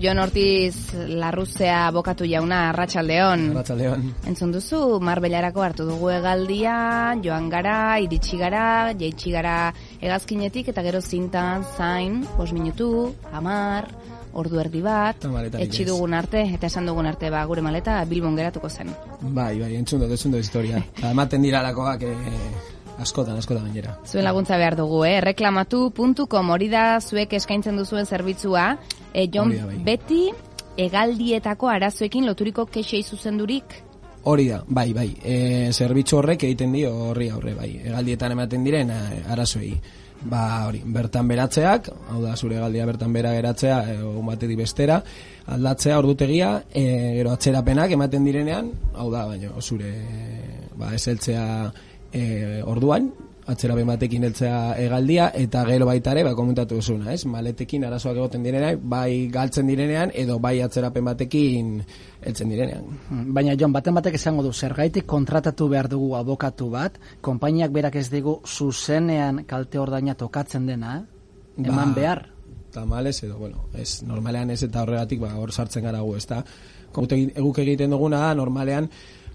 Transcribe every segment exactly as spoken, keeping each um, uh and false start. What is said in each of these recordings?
Jon Ortiz Larruzea abokatu jauna, arratsaldeon. Arratsaldeon. Entzun duzu, Marbellarako hartu dugu hegaldia, joan gara, iritsi gara, jaitsi gara hegazkinetik, eta gero zintan, zain, bost minutu, hamar, ordu erdi bat, etxi dugun arte, eta esan dugun arte, ba, gure maleta Bilbon geratuko zen. Bai, bai, entzun dut, entzun dut historia. Ematen diralakoak, eh, askotan, askotan gainera. Zuen laguntza behar dugu, eh? reklamatu puntu com, hori da zuek eskaintzen duzuen zerbitzua. E, Jon, bai. Beti hegaldietako arazoekin loturiko kexei zuzendurik? Hori da, bai, bai. E, zerbitzu horrek egiten dio horri aurre, bai. Hegaldietan ematen diren arazoei. Ba, hori, bertan beratzeak, hau da, zure hegaldia bertan bera geratzea, egun batetik bestera, aldatzea, ordutegia, e, gero atzerapenak ematen direnean, hau da, baina zure, ba, eseltzea e, orduan, atzerapen batekin heltzea hegaldia, eta gero baita ere, ba, komentatu duzuna, ez? Maletekin arazoak egoten direnean, bai galtzen direnean, edo bai atzerapen batekin heltzen direnean. Baina, Jon, baten batek esango du, zergaitik kontratatu behar dugu abokatu bat, konpainiak berak ez digu zuzenean kalte ordaina tokatzen dena, eman ba, behar? Tamales, edo, bueno, ez, normalean ez eta horregatik, ba, hor sartzen gara gu, ez da? Eguk egiten duguna da, normalean,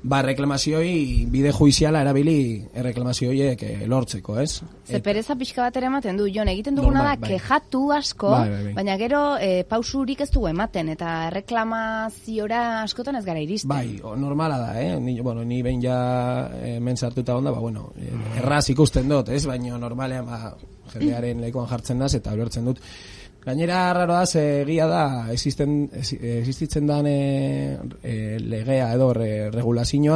ba, reklamazioi bide juiziala erabili reklamazioiek lortzeko, ez? Ze pereza pixka bat ere ematen du, Jon, egiten duguna da, bai. Kejatu asko, bai, bai, bai. Baina gero e, pausurik ez dugu ematen, eta reklamaziora askotan ez gara iristen. Bai, o, normala da, eh? Ni, bueno, ni behin ja e, mensartuta onda, ba, bueno, erraz ikusten dut, ez? Baina normalean, ba, jendearen lekuan jartzen naz, eta ulertzen dut. Gainera, raro da, egia da, existen, existitzen dan e, e, legea edo re, regulazioa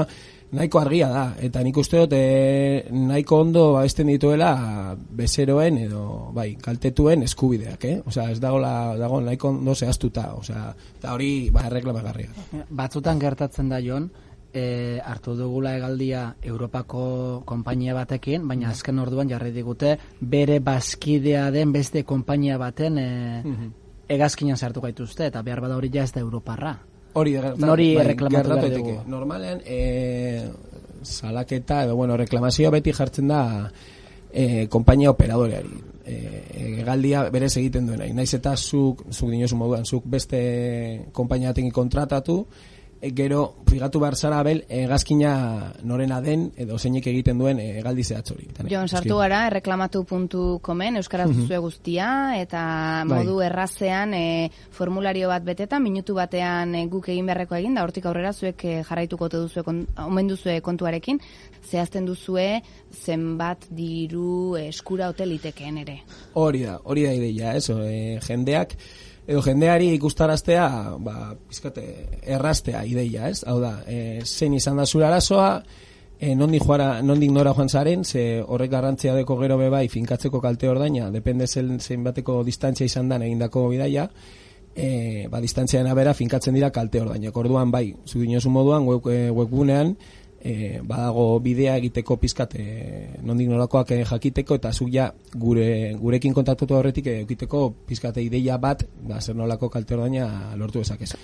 nahiko argia da, eta nik uste dut e, nahiko ondo babesten dituela bezeroen edo bai, kaltetuen eskubideak, eh? Osea, ez dago, la, dago nahiko ondo zehaztuta, osea, eta hori ba, erreklamagarria. Batzutan gertatzen da, Jon, E, hartu dugula hegaldia Europako konpainia batekin, baina azken orduan jarri digute bere bazkidea den beste konpainia baten e, mm-hmm. hegazkinan sartu gaituzte, eta behar bada hori ja ez da Europarra. Hori Nori bai, reklamatu behar dugu. Normalean, e, salaketa, edo, bueno, reklamazioa beti jartzen da e, konpainia operadoreari. Hegaldia e, berez egiten duena. Naiz eta zuk, zuk dinosu moduan, zuk beste konpainia batekin kontratatu, gero, figatu behar zara abel, hegazkina norena den, edo zeinek egiten duen hegaldi zehatz hori. Jon, sartu gara, reklamatu puntu comen, euskaraz duzue guztia, eta modu bai. Errazean e, formulario bat betetan, minutu batean e, guk egin beharreko egin, da hortik aurrera zuek e, jarraituko duzue, kon, omen duzue kontuarekin, zehazten duzue zenbat diru eskura hoteliteken ere. Hori da, hori da ideia, ez, e, jendeak, edo jendeari ikustaraztea, ba, pizkate, erraztea ideia, ez? Hau da, e, zein izan da zure arazoa, e, nondik, joara, nondik nora joan zaren, ze horrek garrantzia deko gero bebai finkatzeko kalte ordaina, depende zen, zein bateko distantzia izan dan egindako bidaia, e, ba, distantziaren abera finkatzen dira kalte ordaina. Orduan, bai, zu dinosu moduan, web, e, webgunean, E, badago bidea egiteko pizkat e, nondik norakoak e, jakiteko, eta zuk ja gure, gurekin kontaktatu horretik egiteko pizkate ideia bat, da zer nolako kalte ordaina lortu dezakezu.